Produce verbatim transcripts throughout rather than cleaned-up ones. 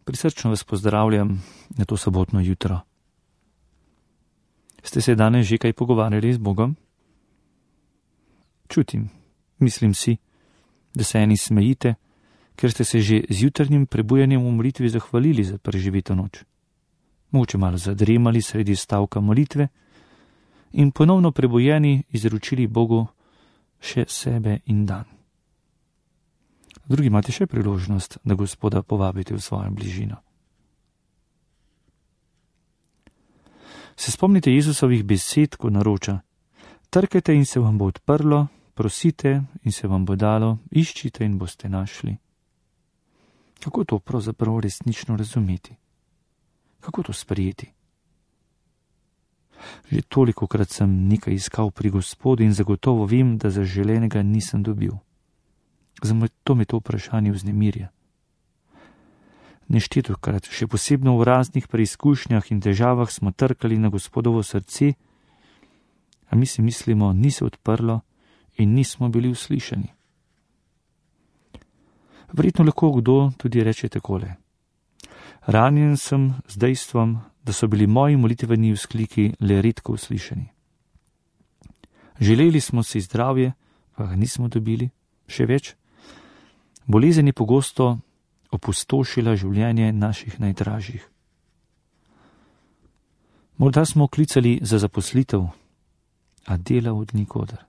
Prisrčno vas pozdravljam na to sobotno jutro. Ste se danes že kaj pogovarjali z Bogom? Čutim, mislim si, da se eni smejite, ker ste se že z jutrnjim prebujanjem v molitvi zahvalili za preživito noč. Mogoče malo zadremali sredi stavka molitve in ponovno prebujeni izročili Bogu še sebe in dan. Drugi imate še priložnost, da Gospoda povabite v svojo bližino. Se spomnite Jezusovih besed, ko naroča: trkajte in se vam bo odprlo, prosite in se vam bo dalo, iščite in boste našli. Kako to pravzaprav resnično razumeti? Kako to sprejeti? Že tolikokrat sem nekaj iskal pri Gospodu in zagotovo vem, da zaželenega nisem dobil. Zato me to vprašanje vznemirja. Neštetokrat, še posebno v raznih preizkušnjah in težavah, smo trkali na Gospodovo srce, a mi si mislimo, ni se odprlo in nismo bili uslišani. Verjetno lahko kdo tudi reče takole: ranjen sem z dejstvom, da so bili moji molitveni vzkliki le redko uslišani. Želeli smo si zdravje, pa ga nismo dobili, še več. Bolezen je pogosto opustošila življenje naših najdražjih. Morda smo klicali za zaposlitev, a dela od nikoder.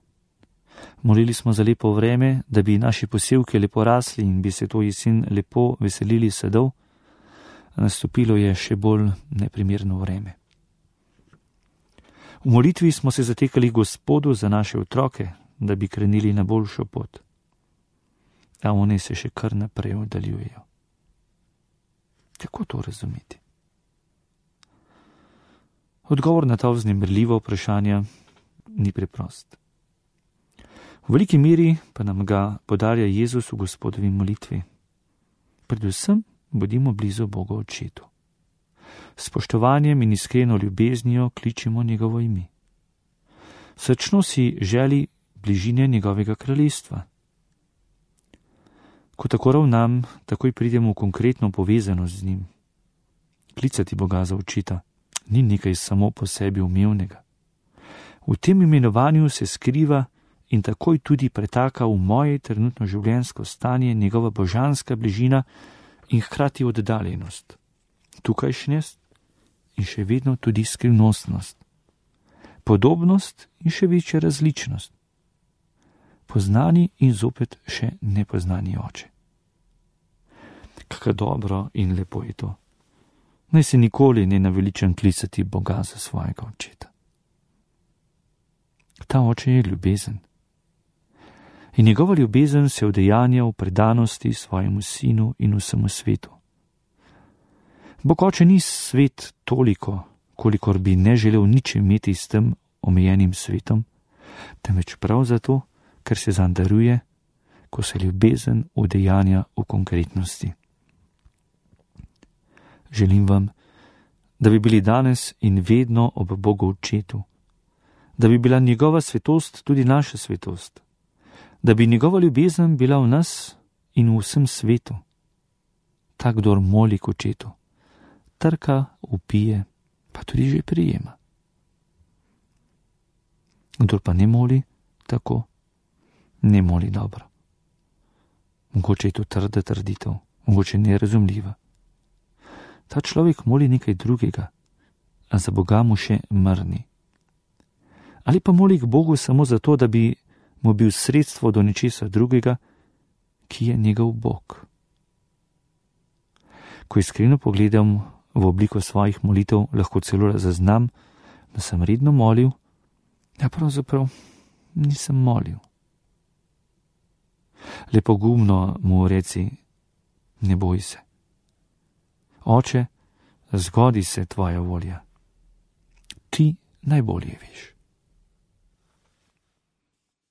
Molili smo za lepo vreme, da bi naši posevki lepo rasli in bi se to jesen lepo veselili sadov, a nastopilo je še bolj neprimerno vreme. V molitvi smo se zatekali Gospodu za naše otroke, da bi krenili na boljšo pot. A oni se še kar naprej oddaljujejo. Kako to razumeti? Odgovor na ta vznemirljiva vprašanja ni preprost. V veliki meri pa nam ga podarja Jezus v Gospodovi molitvi. Predvsem bodimo blizu Bogu Očetu. S spoštovanjem in iskreno ljubeznijo kličimo njegovo ime. Srčno si želi bližine njegovega kraljestva. Ko tako ravnam, takoj pridemo v konkretno povezanost z njim. Klicati Boga za očeta ni nekaj samo po sebi umevnega. V tem imenovanju se skriva in takoj tudi pretaka v moje trenutno življenjsko stanje njegova božanska bližina in hkrati oddaljenost, tukajšnjost in še vedno tudi skrivnostnost, podobnost in še večja različnost, poznani in zopet še nepoznani oče. Kako dobro in lepo je to. Naj se nikoli ne naveličam klicati Boga za svojega očeta. Ta oče je ljubezen. In njegova ljubezen se udejanja v predanosti svojemu sinu in vsemu svetu. Bog oče ni svet toliko, kolikor bi ne želel nič imeti s tem omejenim svetom, temveč prav zato, ker se zanj daruje, ko se ljubezen udejanja v konkretnosti. Želim vam, da bi bili danes in vedno ob Bogu Očetu, da bi bila njegova svetost tudi naša svetost, da bi njegova ljubezen bila v nas in v vsem svetu. Tak, kdor moli k Očetu, trka, vpije, pa tudi že prijema. Kdor pa ne moli tako, ne moli dobro. Mogoče je to trda trditev, mogoče nerazumljiva. Ta človek moli nekaj drugega, a za Boga mu še mrni. Ali pa moli k Bogu samo zato, da bi mu bil sredstvo do nečesa drugega, ki je njegov Bog. Ko iskreno pogledam v obliko svojih molitev, lahko celo zaznam, da sem redno molil, a pravzaprav nisem molil. Le pogumno mu reci: ne boj se. Oče, zgodi se tvoja volja. Ti najbolje veš.